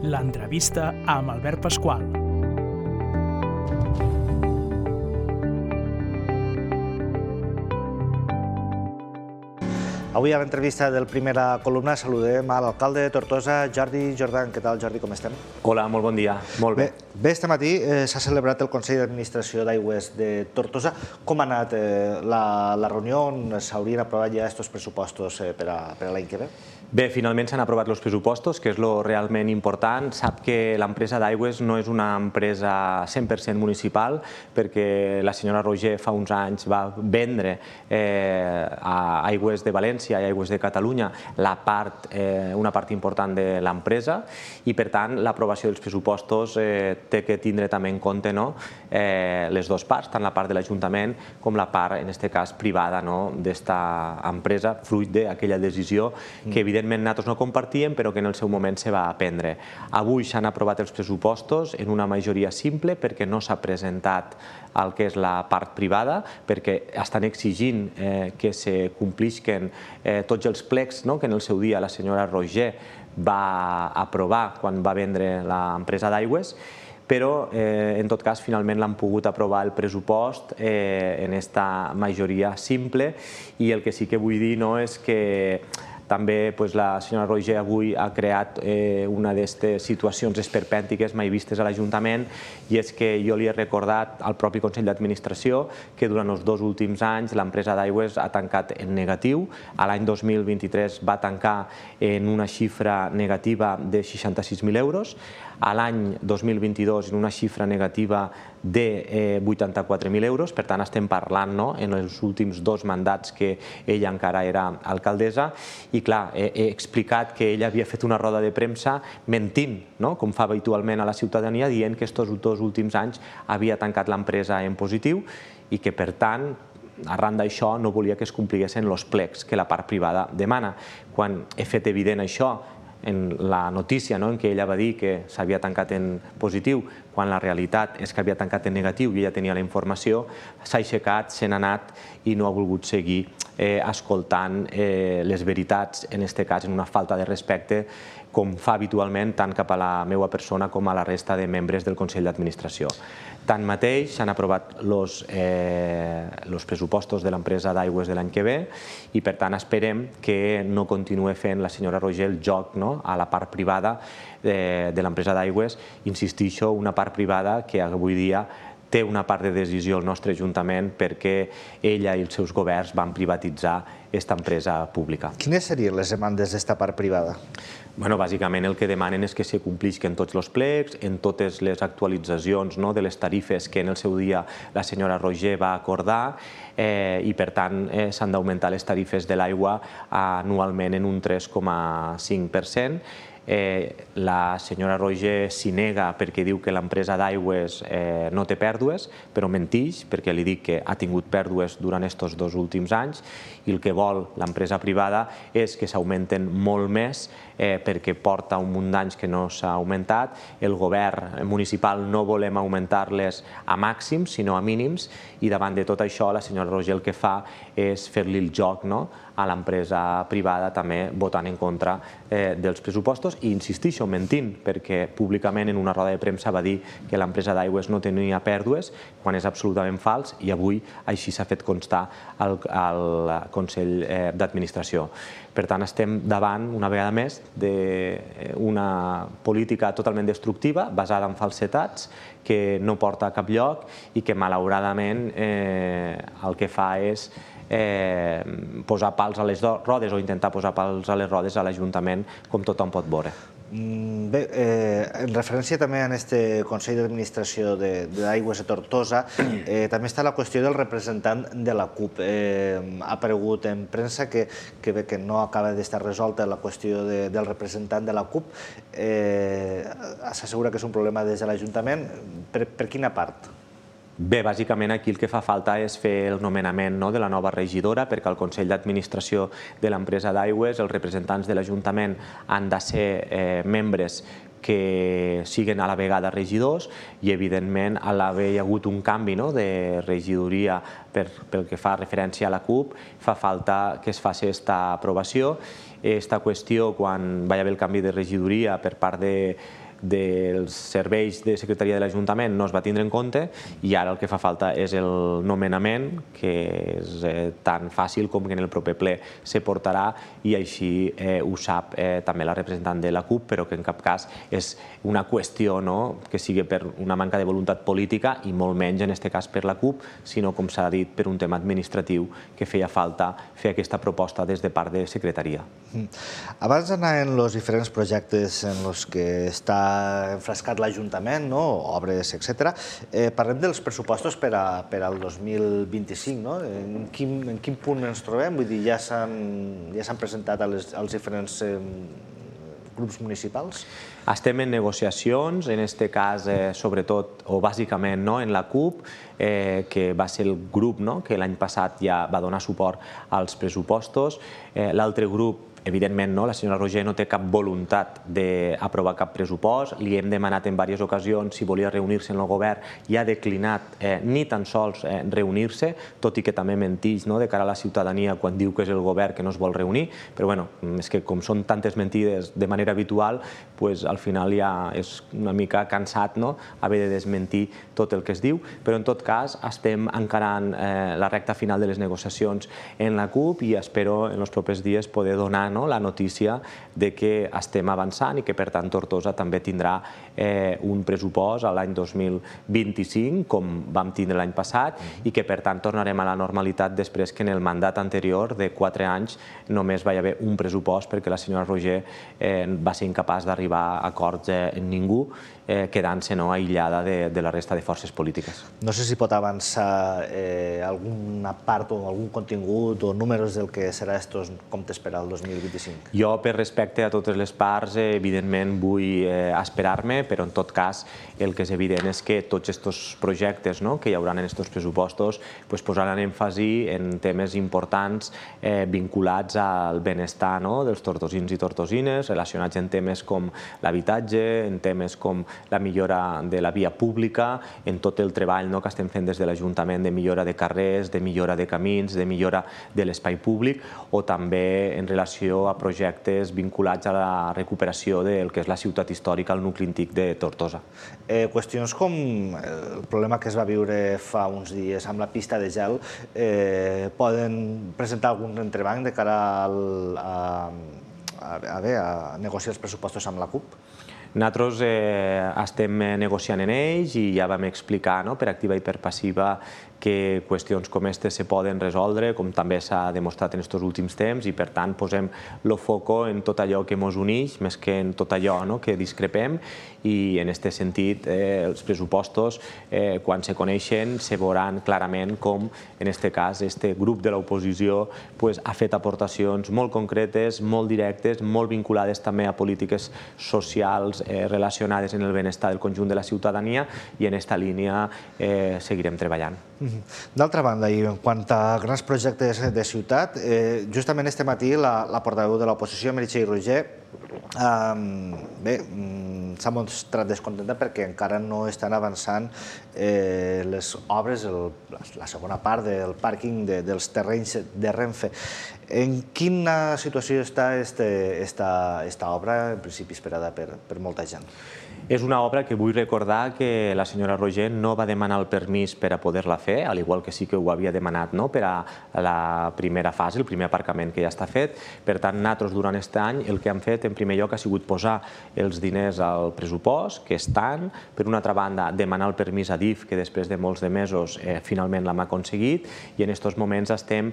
L'entrevista amb Albert Pasqual. Avui a l'entrevista del Primera Columna saludem a l'alcalde de Tortosa, Jordi Jordan. Què tal, Jordi, com estem? Hola, molt bon dia. Molt bé. Bé, este matí s'ha celebrat el Consell d'Administració d'Aigües de Tortosa. Com ha anat la reunió on s'haurien aprovat ja aquests pressupostos per a l'any que ve? Bé, finalment s'han aprovat els pressupostos, que és el realment important. Sap que l'empresa d'Aigües no és una empresa 100% municipal, perquè la senyora Roger fa uns anys va vendre a Aigües de València i Aigües de Catalunya una part important de l'empresa i, per tant, l'aprovació dels pressupostos té que tindre també en compte les dues parts, tant la part de l'Ajuntament com la part, en aquest cas, privada d'esta empresa, fruit d'aquella decisió que, evidentment, nosaltres no compartíem, però que en el seu moment se va prendre. Avui s'han aprovat els pressupostos en una majoria simple perquè no s'ha presentat el que és la part privada, perquè estan exigint que se complisquen tots els plecs que en el seu dia la senyora Roger va aprovar quan va vendre l'empresa d'Aigües, però en tot cas finalment l'han pogut aprovar el pressupost en aquesta majoria simple, i el que sí que vull dir és que també la senyora Roger avui ha creat una d'aquestes situacions esperpèntiques mai vistes a l'Ajuntament, i és que jo li he recordat al propi Consell d'Administració que durant els 2 últims anys l'empresa d'Aigües ha tancat en negatiu. A l'any 2023 va tancar en una xifra negativa de 66.000 euros, a l'any 2022 en una xifra negativa de 84.000 euros. Per tant, estem parlant en els últims 2 mandats que ella encara era alcaldessa, i clar, he explicat que ella havia fet una roda de premsa mentint, com fa habitualment a la ciutadania, dient que aquests 2 últims anys havia tancat l'empresa en positiu i que, per tant, arran d'això no volia que es compliguessin els plecs que la part privada demana. Quan he fet evident això en la notícia en què ella va dir que s'havia tancat en positiu, quan la realitat és que havia tancat en negatiu i ella tenia la informació, s'ha aixecat, se n'ha anat i no ha volgut seguir escoltant les veritats, en aquest cas en una falta de respecte, com fa habitualment tant cap a la meva persona com a la resta de membres del Consell d'Administració. Tanmateix, s'han aprovat els pressupostos de l'empresa d'Aigües de l'any que ve i, per tant, esperem que no continuï fent la senyora Roger el joc a la part privada de l'empresa d'Aigües. Insistixo, una part privada que avui dia té una part de decisió al nostre Ajuntament perquè ella i els seus governs van privatitzar aquesta empresa pública. Quines serien les demandes d'esta part privada? Bàsicament el que demanen és que se complisquen tots els plecs, en totes les actualitzacions de les tarifes que en el seu dia la senyora Roger va acordar, i per tant s'han d'augmentar les tarifes de l'aigua anualment en un 3,5%. La senyora Roger s'hi nega perquè diu que l'empresa d'Aigües no té pèrdues, però mentix, perquè li dic que ha tingut pèrdues durant aquests 2 últims anys, i el que vol l'empresa privada és que s'augmenten molt més perquè porta un munt d'anys que no s'ha augmentat. El govern municipal no volem augmentar-les a màxims, sinó a mínims, i davant de tot això la senyora Roger el que fa és fer-li el joc a l'empresa privada, també votant en contra dels pressupostos i, insistixo, mentint, perquè públicament en una roda de premsa va dir que l'empresa d'Aigües no tenia pèrdues, quan és absolutament fals, i avui així s'ha fet constar al Consell d'Administració. Per tant, estem davant, una vegada més, d'una política totalment destructiva, basada en falsetats, que no porta a cap lloc i que, malauradament, el que fa és posar pals a les rodes o intentar posar pals a les rodes a l'Ajuntament, com tothom pot veure. Bé, en referència també a aquest Consell d'Administració d'Aigües de Tortosa, també està la qüestió del representant de la CUP. Ha aparegut en premsa que no acaba d'estar resolta la qüestió del representant de la CUP. S'assegura que és un problema des de l'Ajuntament. Per quina part? Bé, bàsicament aquí el que fa falta és fer el nomenament de la nova regidora, perquè al Consell d'Administració de l'empresa d'Aigües els representants de l'Ajuntament han de ser membres que siguin a la vegada regidors, i evidentment a l'haver hagut un canvi de regidoria pel que fa referència a la CUP, fa falta que es faci aquesta aprovació. Aquesta qüestió, quan va haver el canvi de regidoria per part dels serveis de secretaria de l'Ajuntament no es va tindre en compte i ara el que fa falta és el nomenament, que és tan fàcil com que en el proper ple se portarà i així ho sap també la representant de la CUP, però que en cap cas és una qüestió que sigui per una manca de voluntat política i molt menys en aquest cas per la CUP, sinó, com s'ha dit, per un tema administratiu que feia falta fer aquesta proposta des de part de secretaria. Abans d'anar en els diferents projectes en els que està enfrascat l'Ajuntament, obres, etc., parlem dels pressupostos per al 2025. En quin punt ens trobem? Vull dir, ja s'han presentat als diferents grups municipals? Estem en negociacions, en aquest cas, sobretot, o bàsicament en la CUP, que va ser el grup que l'any passat ja va donar suport als pressupostos. L'altre grup, evidentment, la senyora Roigé no té cap voluntat d'aprovar cap pressupost. Li hem demanat en diverses ocasions si volia reunir-se en el govern i ha declinat ni tan sols reunir-se, tot i que també menteix de cara a la ciutadania quan diu que és el govern que no es vol reunir. Però bé, és que com són tantes mentides de manera habitual, al final ja és una mica cansat haver de desmentir tot el que es diu. Però en tot cas estem encarant la recta final de les negociacions en la CUP i espero en els propers dies poder donar la notícia que estem avançant i que, per tant, Tortosa també tindrà un pressupost l'any 2025, com vam tindre l'any passat, i que, per tant, tornarem a la normalitat després que en el mandat anterior de 4 anys només va haver un pressupost perquè la senyora Roigé va ser incapaç d'arribar a acords amb ningú, quedant-se aïllada de la resta de forces polítiques. No sé si pot avançar alguna part o algun contingut o números del que serà estos comptes per al 2025. Jo, per respecte a totes les parts, evidentment vull esperar-me, però en tot cas el que és evident és que tots aquests projectes que hi haurà en aquests pressupostos posaran èmfasi en temes importants vinculats al benestar dels tortosins i tortosines, relacionats en temes com l'habitatge, en temes com la millora de la via pública, en tot el treball que estem fent des de l'Ajuntament de millora de carrers, de millora de camins, de millora de l'espai públic, o també en relació a projectes vinculats a la recuperació del que és la ciutat històrica, el nucli antic de Tortosa. Qüestions com el problema que es va viure fa uns dies amb la pista de gel poden presentar algun entrebanc de cara a negociar els pressupostos amb la CUP? Nosaltres estem negociant en ells i ja vam explicar per activa i per passiva que qüestions com aquestes se poden resoldre, com també s'ha demostrat en aquests últims temps, i per tant posem el foco en tot allò que ens uneix, més que en tot allò que discrepem, i en aquest sentit els pressupostos, quan se coneixen, se veuran clarament com, en aquest cas, aquest grup de l'oposició ha fet aportacions molt concretes, molt directes, molt vinculades també a polítiques socials relacionades amb el benestar del conjunt de la ciutadania, i en aquesta línia seguirem treballant. D'altra banda, i en quant a grans projectes de ciutat, justament este matí la portaveu de l'oposició, Meritxell Roigé, s'ha mostrat descontenta perquè encara no estan avançant les obres, la segona part del pàrquing dels terrenys de Renfe. En quina situació està aquesta obra, en principi esperada per molta gent? És una obra que vull recordar que la senyora Roigé no va demanar el permís per a poder-la fer, al igual que sí que ho havia demanat per a la primera fase, el primer aparcament que ja està fet. Per tant, nosaltres durant aquest any el que hem fet en primer lloc ha sigut posar els diners al pressupost, que estan, per una altra banda demanar el permís a DIF, que després de molts de mesos finalment l'hem aconseguit, i en aquests moments estem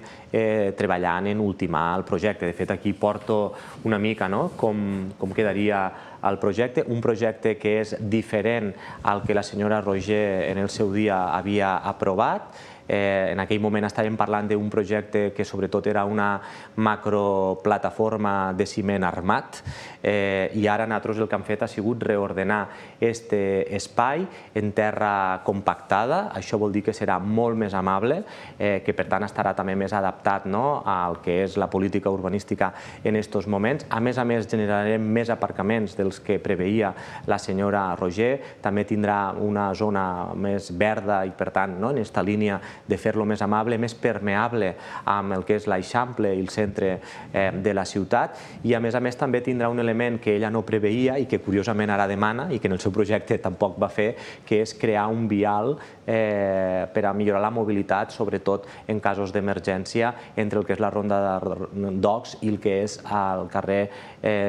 treballant en ultimar el projecte. De fet, aquí porto una mica com quedaria el projecte, un projecte que és diferent al que la senyora Roigé en el seu dia havia aprovat. En aquell moment estàvem parlant d'un projecte que sobretot era una macroplataforma de ciment armat, i ara nosaltres el que hem fet ha sigut reordenar aquest espai en terra compactada. Això vol dir que serà molt més amable, que per tant estarà també més adaptat al que és la política urbanística en aquests moments. A més, generarem més aparcaments dels que preveia la senyora Roigé. També tindrà una zona més verda i, per tant, en aquesta línia de fer-lo més amable, més permeable amb el que és l'Eixample i el centre de la ciutat, i a més també tindrà un element que ella no preveia i que curiosament ara demana i que en el seu projecte tampoc va fer, que és crear un vial per a millorar la mobilitat, sobretot en casos d'emergència, entre el que és la Ronda d'Ocs i el que és el carrer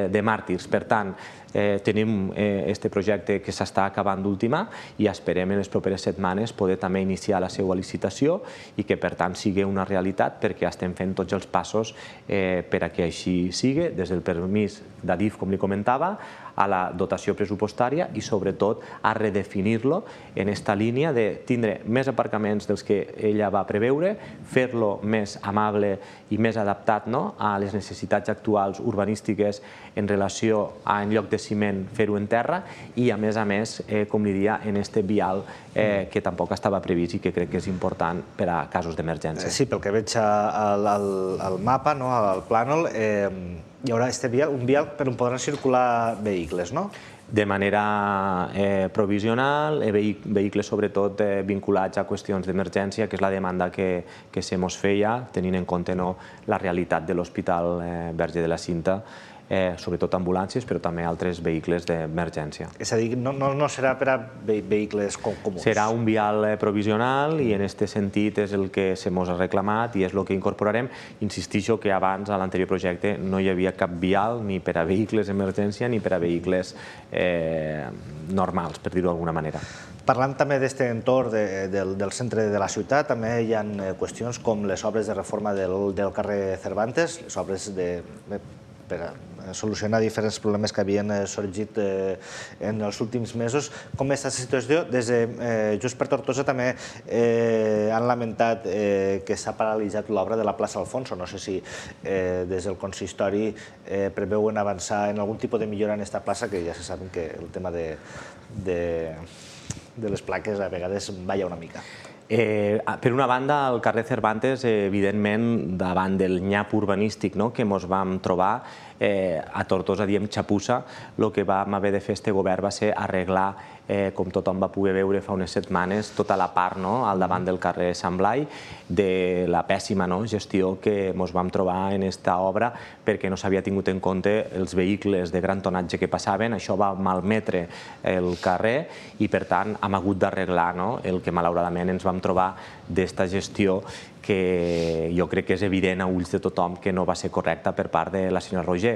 de Màrtirs. Per tant, tenim aquest projecte que s'està acabant d'ultimar i esperem en les properes setmanes poder també iniciar la seva licitació i que per tant sigui una realitat, perquè estem fent tots els passos per a que així sigui, des del permís d'Adif, com li comentava, a la dotació pressupostària i sobretot a redefinir-lo en aquesta línia de tindre més aparcaments dels que ella va preveure, fer-lo més amable i més adaptat a les necessitats actuals urbanístiques en relació a, en lloc de ciment, fer-ho en terra i, a més, com li dia, en aquest vial que tampoc estava previst i que crec que és important per a casos d'emergència. Sí, pel que veig al mapa, al plànol, hi haurà un vial per on podran circular vehicles, no? De manera provisional, vehicles sobretot vinculats a qüestions d'emergència, que és la demanda que se mos feia, tenint en compte la realitat de l'Hospital Verge de la Cinta, sobretot ambulàncies, però també altres vehicles d'emergència. És a dir, no serà per a vehicles comuns? Serà un vial provisional i en aquest sentit és el que se mos ha reclamat i és el que incorporarem. Insistixo que abans, a l'anterior projecte, no hi havia cap vial ni per a vehicles d'emergència ni per a vehicles normals, per dir-ho d'alguna manera. Parlant també d'aquest entorn del centre de la ciutat, també hi ha qüestions com les obres de reforma del carrer Cervantes, les obres per a solucionar diferents problemes que havien sorgit en els últims mesos. Com està la situació? Des de Junts per Tortosa també han lamentat que s'ha paralitzat l'obra de la plaça Alfonso. No sé si des del consistori preveuen avançar en algun tipus de millora en aquesta plaça, que ja se saben que el tema de les plaques a vegades balla una mica. Per una banda, el carrer Cervantes, evidentment, davant del nyap urbanístic que ens vam trobar, a Tortosa diem xapussa, el que vam haver de fer este govern va ser arreglar, com tothom va poder veure fa unes setmanes, tota la part al davant del carrer Sant Blai de la pèssima gestió que ens vam trobar en aquesta obra perquè no s'havia tingut en compte els vehicles de gran tonatge que passaven. Això va malmetre el carrer i, per tant, hem hagut d'arreglar el que malauradament ens vam trobar d'esta gestió que jo crec que és evident a ulls de tothom que no va ser correcta per part de la senyora Roigé.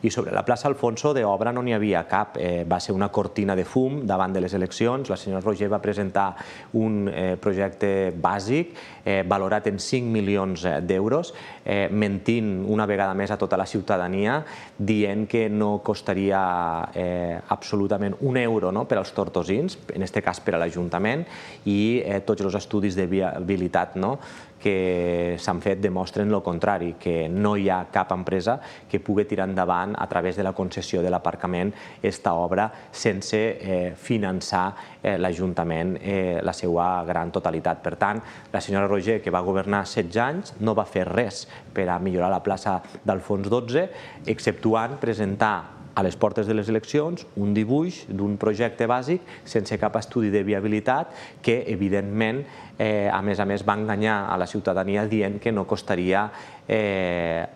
I sobre la plaça Alfonso, d'obra no n'hi havia cap. Va ser una cortina de fum davant de les eleccions. La senyora Roigé va presentar un projecte bàsic valorat en 5 milions d'euros, mentint una vegada més a tota la ciutadania, dient que no costaria absolutament un euro per als tortosins, en aquest cas per a l'Ajuntament, i tots els estudis de viabilitat que s'han fet demostren el contrari, que no hi ha cap empresa que pugui tirar endavant a través de la concessió de l'aparcament aquesta obra sense finançar l'Ajuntament la seva gran totalitat. Per tant, la senyora Roigé, que va governar 16 anys, no va fer res per a millorar la plaça d'Alfons XII, exceptuant presentar a les portes de les eleccions un dibuix d'un projecte bàsic sense cap estudi de viabilitat que, evidentment, a més, va enganyar a la ciutadania dient que no costaria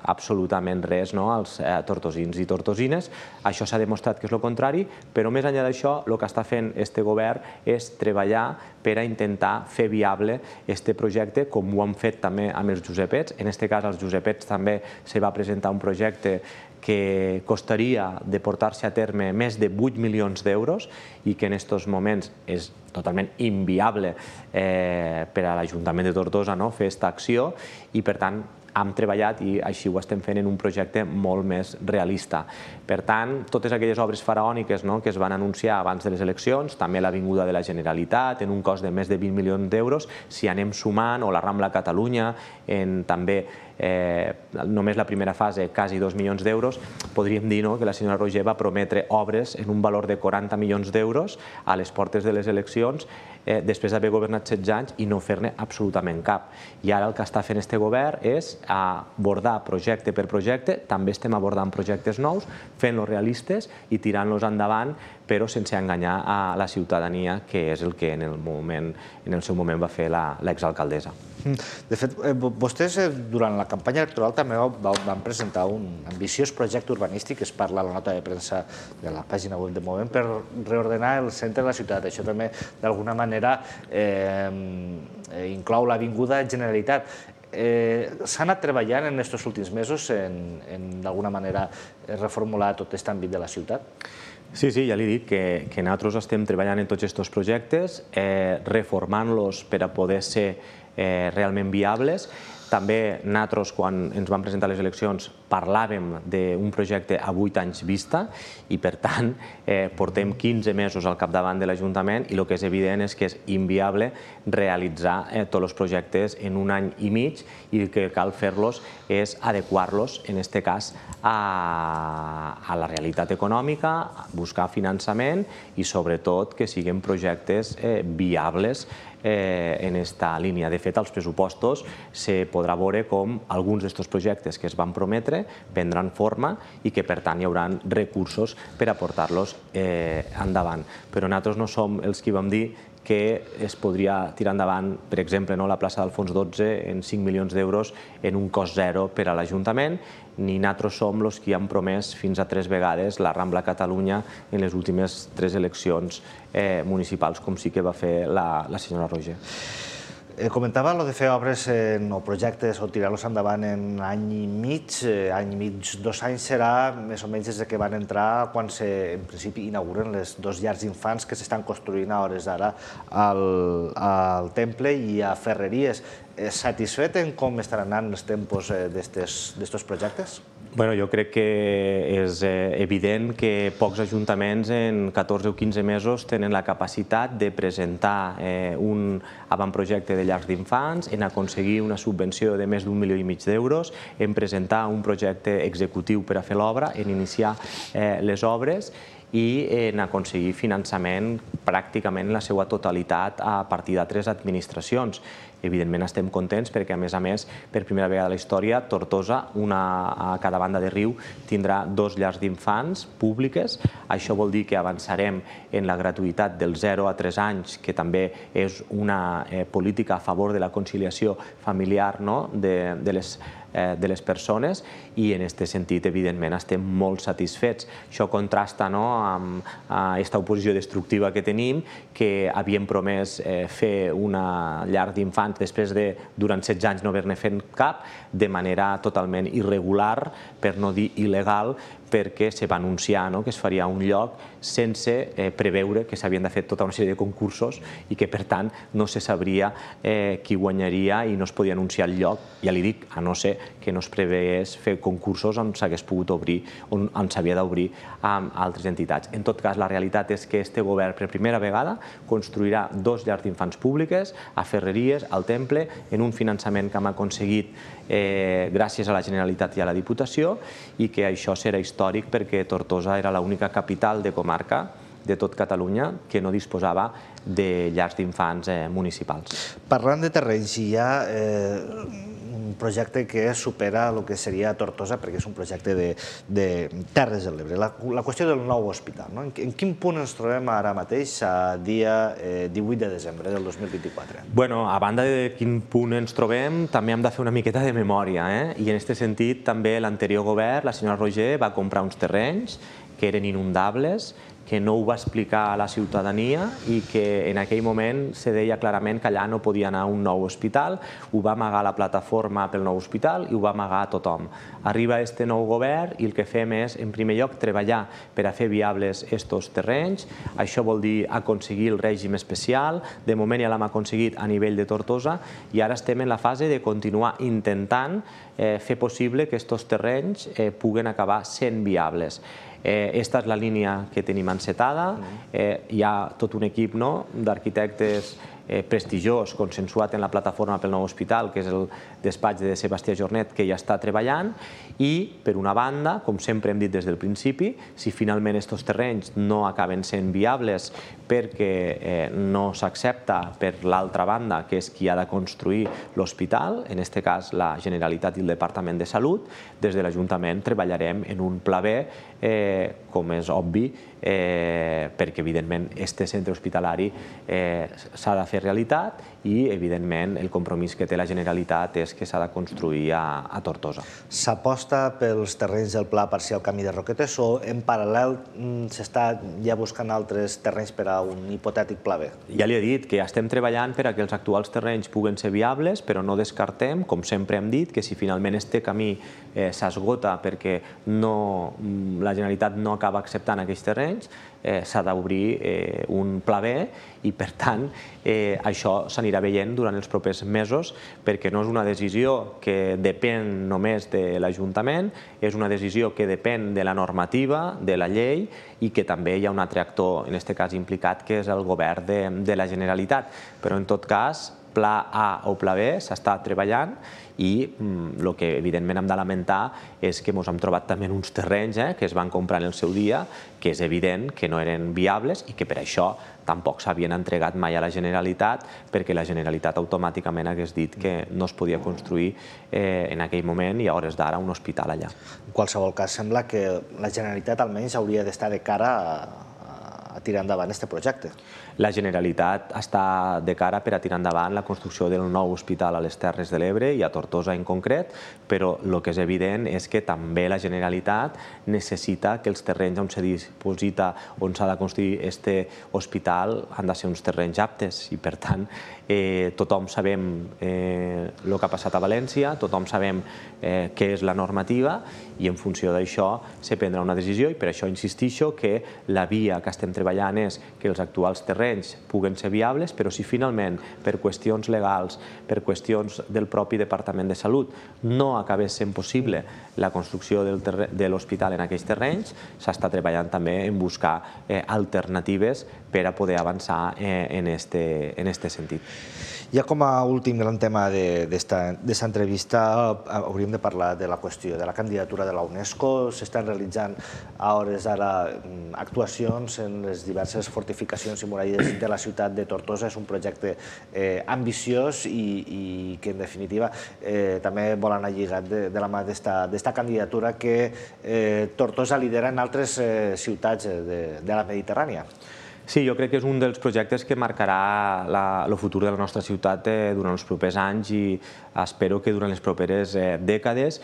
absolutament res als tortosins i tortosines. Això s'ha demostrat que és el contrari, però més enllà d'això, el que està fent aquest govern és treballar per a intentar fer viable aquest projecte, com ho han fet també amb els Josepets. En aquest cas, als Josepets també se va presentar un projecte que costaria de portar-se a terme més de 8 milions d'euros i que en aquests moments és totalment inviable per a l'Ajuntament de Tortosa fer aquesta acció i, per tant, hem treballat i així ho estem fent en un projecte molt més realista. Per tant, totes aquelles obres faraòniques que es van anunciar abans de les eleccions, també l'Avinguda de la Generalitat, en un cost de més de 20 milions d'euros, si anem sumant, o la Rambla Catalunya, també només la primera fase, quasi 2 milions d'euros, podríem dir que la senyora Roigé va prometre obres en un valor de 40 milions d'euros a les portes de les eleccions després d'haver governat 16 anys i no fer-ne absolutament cap. I ara el que està fent este govern és abordar projecte per projecte, també estem abordant projectes nous, fent-los realistes i tirant-los endavant, però sense enganyar a la ciutadania, que és el que en el seu moment va fer l'exalcaldessa. De fet, vostès durant la campanya electoral també van presentar un ambiciós projecte urbanístic, que es parla a la nota de premsa de la pàgina web de Movem, per reordenar el centre de la ciutat. Això també, d'alguna manera, inclou l'Avinguda Generalitat. S'ha anat treballant en aquests últims mesos en, d'alguna manera, reformular tot aquest àmbit de la ciutat? Sí, ja li dic que nosaltres estem treballant en tots aquests projectes, reformant-los per a poder ser realment viables. També nosaltres, quan ens vam presentar a les eleccions, parlàvem d'un projecte a 8 anys vista i, per tant, portem 15 mesos al capdavant de l'Ajuntament i el que és evident és que és inviable realitzar tots els projectes en un any i mig i el que cal fer-los és adequar-los, en aquest cas, a la realitat econòmica, buscar finançament i, sobretot, que siguin projectes viables en aquesta línia. De fet, als pressupostos se podrà veure com alguns d'aquests projectes que es van prometre prendran forma i que, per tant, hi haurà recursos per a portar-los endavant. Però nosaltres no som els qui vam dir que es podria tirar endavant, per exemple, la plaça d'Alfons XII en 5 milions d'euros en un cost zero per a l'Ajuntament, ni nosaltres som els qui han promès fins a 3 vegades la Rambla Catalunya en les últimes 3 eleccions municipals, com sí que va fer la senyora Roigé. Comentava de fer obres o projectes o tirar-los endavant en any i mig, 2 anys serà més o menys des que van entrar quan en principi inauguren les 2 llars d'infants que s'estan construint a hores d'ara al Temple i a Ferreries. Satisfet en com estaran anant els tempos d'estos projectes? Bueno, jo crec que és evident que pocs ajuntaments en 14 o 15 mesos tenen la capacitat de presentar un avantprojecte de llars d'infants, en aconseguir una subvenció de més d'1,5 milió d'euros, en presentar un projecte executiu per a fer l'obra, en iniciar les obres i en aconseguir finançament pràcticament en la seva totalitat a partir d'altres administracions. Evidentment estem contents perquè, a més, per primera vegada a la història, Tortosa, una a cada banda de riu, tindrà 2 llars d'infants públiques. Això vol dir que avançarem en la gratuïtat dels 0 a 3 anys, que també és una política a favor de la conciliació familiar de les persones i en aquest sentit, evidentment, estem molt satisfets. Això contrasta amb aquesta oposició destructiva que tenim, que havíem promès fer una llar d'infants després de, durant 16 anys, no haver-ne fet cap, de manera totalment irregular, per no dir il·legal, perquè se va anunciar que es faria un lloc sense preveure que s'havien de fer tota una sèrie de concursos i que, per tant, no se sabria qui guanyaria i no es podia anunciar el lloc, ja li dic, a no ser que no es preveés fer concursos on s'hagués pogut obrir, on s'havia d'obrir amb altres entitats. En tot cas, la realitat és que este govern, per primera vegada, construirà 2 llars d'infants públiques a Ferreries, al Temple, en un finançament que hem aconseguit gràcies a la Generalitat i a la Diputació i que això serà històric perquè Tortosa era l'única capital de comarca de tot Catalunya que no disposava de llars d'infants municipals. Parlant de terrenys, hi ha un projecte que supera el que seria Tortosa, perquè és un projecte de Terres de l'Ebre. La qüestió del nou hospital. En quin punt ens trobem ara mateix, a dia 18 de desembre del 2024? Bueno, a banda de quin punt ens trobem, també hem de fer una miqueta de memòria. I en aquest sentit, també l'anterior govern, la senyora Roigé, va comprar uns terrenys que eren inundables, que no ho va explicar a la ciutadania i que en aquell moment se deia clarament que allà no podia anar un nou hospital, ho va amagar la plataforma pel nou hospital i ho va amagar a tothom. Arriba este nou govern i el que fem és, en primer lloc, treballar per a fer viables estos terrenys. Això vol dir aconseguir el règim especial. De moment ja l'hem aconseguit a nivell de Tortosa i ara estem en la fase de continuar intentant fer possible que estos terrenys puguen acabar sent viables. Esta és la línia que tenim encetada. Hi ha tot un equip d'arquitectes prestigiós, consensuat en la plataforma pel nou hospital, que és el despatx de Sebastià Jornet, que ja està treballant, i, per una banda, com sempre hem dit des del principi, si finalment aquests terrenys no acaben sent viables perquè no s'accepta per l'altra banda, que és qui ha de construir l'hospital, en aquest cas la Generalitat i el Departament de Salut, des de l'Ajuntament treballarem en un pla B, com és obvi, perquè evidentment aquest centre hospitalari s'ha de fer realitat i evidentment el compromís que té la Generalitat és que s'ha de construir a Tortosa. S'aposta pels terrenys del Pla Parcial Camí de Roquetes o en paral·lel s'està ja buscant altres terrenys per a un hipotètic Pla B? Ja li he dit que estem treballant per a que els actuals terrenys puguen ser viables, però no descartem, com sempre hem dit, que si finalment aquest camí s'esgota perquè la Generalitat no acaba acceptant aquests terrenys, s'ha d'obrir un pla B i, per tant, això s'anirà veient durant els propers mesos perquè no és una decisió que depèn només de l'Ajuntament, és una decisió que depèn de la normativa, de la llei i que també hi ha un altre actor, en aquest cas implicat, que és el govern de la Generalitat. Però, en tot cas, pla A o pla B s'està treballant i el que evidentment hem de lamentar és que ens hem trobat també uns terrenys que es van comprar en el seu dia, que és evident que no eren viables i que per això tampoc s'havien entregat mai a la Generalitat perquè la Generalitat automàticament hagués dit que no es podia construir en aquell moment i a hores d'ara un hospital allà. En qualsevol cas, sembla que la Generalitat almenys hauria d'estar de cara a tirar endavant aquest projecte. La Generalitat està de cara per a tirar endavant la construcció del nou hospital a les Terres de l'Ebre i a Tortosa en concret, però el que és evident és que també la Generalitat necessita que els terrenys on se diposita, on s'ha de construir aquest hospital, han de ser uns terrenys aptes i, per tant, tothom sabem el que ha passat a València, tothom sabem què és la normativa i en funció d'això se prendrà una decisió i per això insistixo que la via que estem treballant és que els actuals terrenys puguen ser viables, però si finalment per qüestions legals, per qüestions del propi Departament de Salut no acabés sent possible la construcció de l'hospital en aquells terrenys, s'està treballant també en buscar alternatives per a poder avançar en aquest sentit. Ja com a últim gran tema d'esta entrevista hauríem de parlar de la qüestió de la candidatura de la UNESCO. S'estan realitzant a hores d'ara actuacions en les diverses fortificacions i muralles de la ciutat de Tortosa. És un projecte ambiciós i que en definitiva també vol anar lligat de la mà d'esta candidatura que Tortosa lidera en altres ciutats de la Mediterrània. Sí, jo crec que és un dels projectes que marcarà el futur de la nostra ciutat durant els propers anys i espero que durant les properes dècades.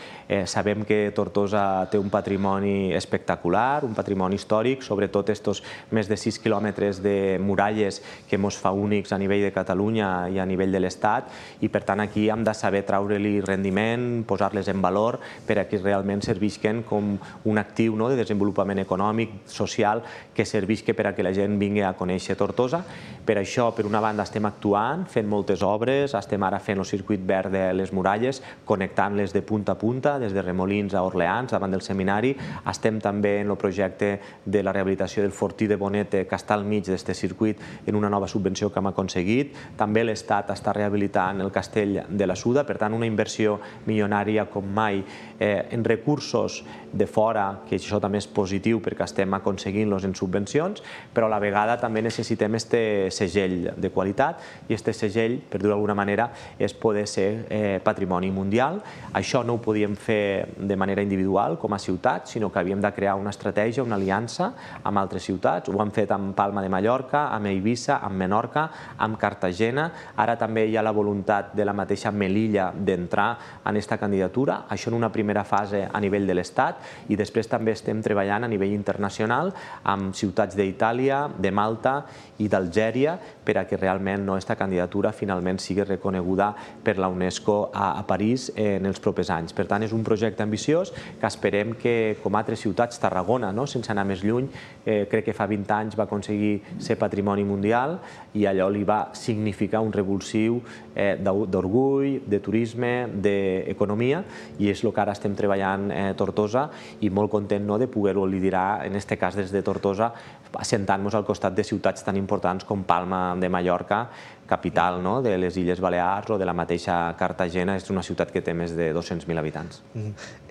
Sabem que Tortosa té un patrimoni espectacular, un patrimoni històric, sobretot aquests més de 6 quilòmetres de muralles que ens fa únics a nivell de Catalunya i a nivell de l'Estat i per tant aquí hem de saber treure-li rendiment, posar-les en valor per a que realment servisquen com un actiu de desenvolupament econòmic, social, que servisqui per a que la gent vingui a conèixer Tortosa. Per això, per una banda, estem actuant, fent moltes obres, estem ara fent el circuit verd de les muralles, connectant-les de punta a punta, des de Remolins a Orleans, davant del seminari. Estem també en el projecte de la rehabilitació del fortí de Bonete, que està al mig d'aquest circuit, en una nova subvenció que hem aconseguit. També l'Estat està rehabilitant el castell de la Suda, per tant, una inversió milionària com mai en recursos de fora, que això també és positiu perquè estem aconseguint-los en subvencions, però a la vegada també necessitem este segell de qualitat i este segell, per dir-ho d'alguna manera, és poder ser patrimoni mundial. Això no ho podíem fer de manera individual com a ciutat, sinó que havíem de crear una estratègia, una aliança amb altres ciutats. Ho hem fet amb Palma de Mallorca, amb Eivissa, amb Menorca, amb Cartagena. Ara també hi ha la voluntat de la mateixa Melilla d'entrar en aquesta candidatura. Això en una primera fase a nivell de l'Estat i després també estem treballant a nivell internacional amb ciutats d'Itàlia, de Malta i d'Algèria per a que realment aquesta candidatura finalment sigui reconeguda per la UNESCO a París en els propers anys. Per tant, és un projecte ambiciós que esperem que, com altres ciutats, Tarragona, sense anar més lluny, crec que fa 20 anys va aconseguir ser patrimoni mundial i allò li va significar un revulsiu d'orgull, de turisme, d'economia i és el que ara estem treballant a Tortosa i molt content de poder-ho liderar, en aquest cas des de Tortosa, assentant-nos al costat costat de ciutats tan importants com Palma de Mallorca, capital de les Illes Balears, o de la mateixa Cartagena, és una ciutat que té més de 200.000 habitants.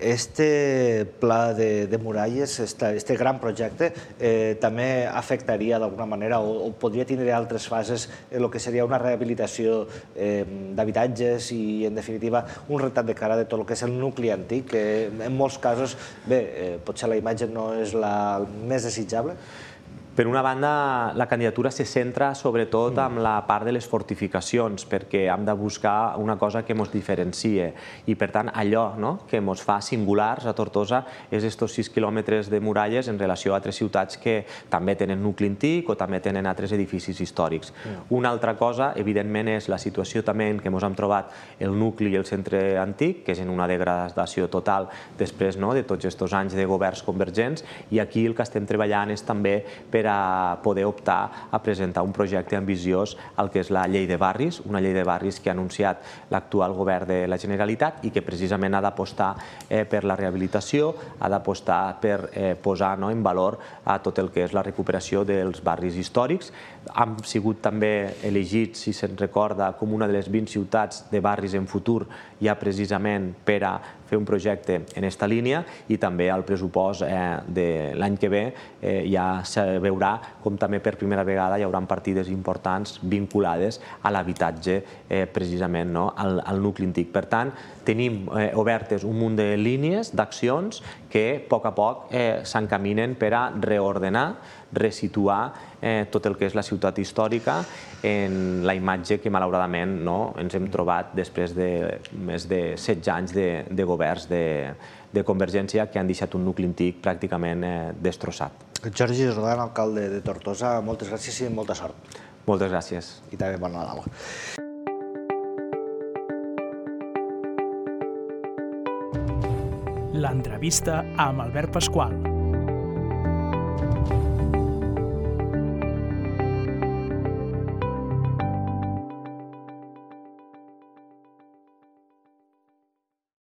Este pla de muralles, este gran projecte, també afectaria d'alguna manera o podria tenir altres fases en el que seria una rehabilitació d'habitatges i, en definitiva, un retrat de cara de tot el que és el nucli antic, que en molts casos, bé, potser la imatge no és la més desitjable? Per una banda, la candidatura se centra sobretot en la part de les fortificacions, perquè hem de buscar una cosa que ens diferencie. I, per tant, allò que ens fa singulars a Tortosa és aquests 6 quilòmetres de muralles en relació a altres ciutats que també tenen nucli antic o també tenen altres edificis històrics. Una altra cosa, evidentment, és la situació també en què ens hem trobat el nucli i el centre antic, que és en una degradació total després de tots aquests anys de governs convergents, i aquí el que estem treballant és també per a poder optar a presentar un projecte ambiciós al que és la llei de barris, una llei de barris que ha anunciat l'actual govern de la Generalitat i que precisament ha d'apostar per la rehabilitació, ha d'apostar per posar en valor a tot el que és la recuperació dels barris històrics. Han sigut també elegits, si se'n recorda, com una de les 20 ciutats de barris en futur ja precisament per a fer un projecte en aquesta línia, i també el pressupost de l'any que ve ja se veurà com també per primera vegada hi haurà partides importants vinculades a l'habitatge precisament al nucli antic. Per tant, tenim obertes un munt de línies, d'accions que a poc s'encaminen per a reordenar, resituar tot el que és la ciutat històrica en la imatge que malauradament ens hem trobat després de més de 16 anys de governs de Convergència que han deixat un nucli antic pràcticament destrossat. Jordi Jordan, alcalde de Tortosa, moltes gràcies i molta sort. Moltes gràcies. I també bon Nadal. L'entrevista amb Albert Pasqual.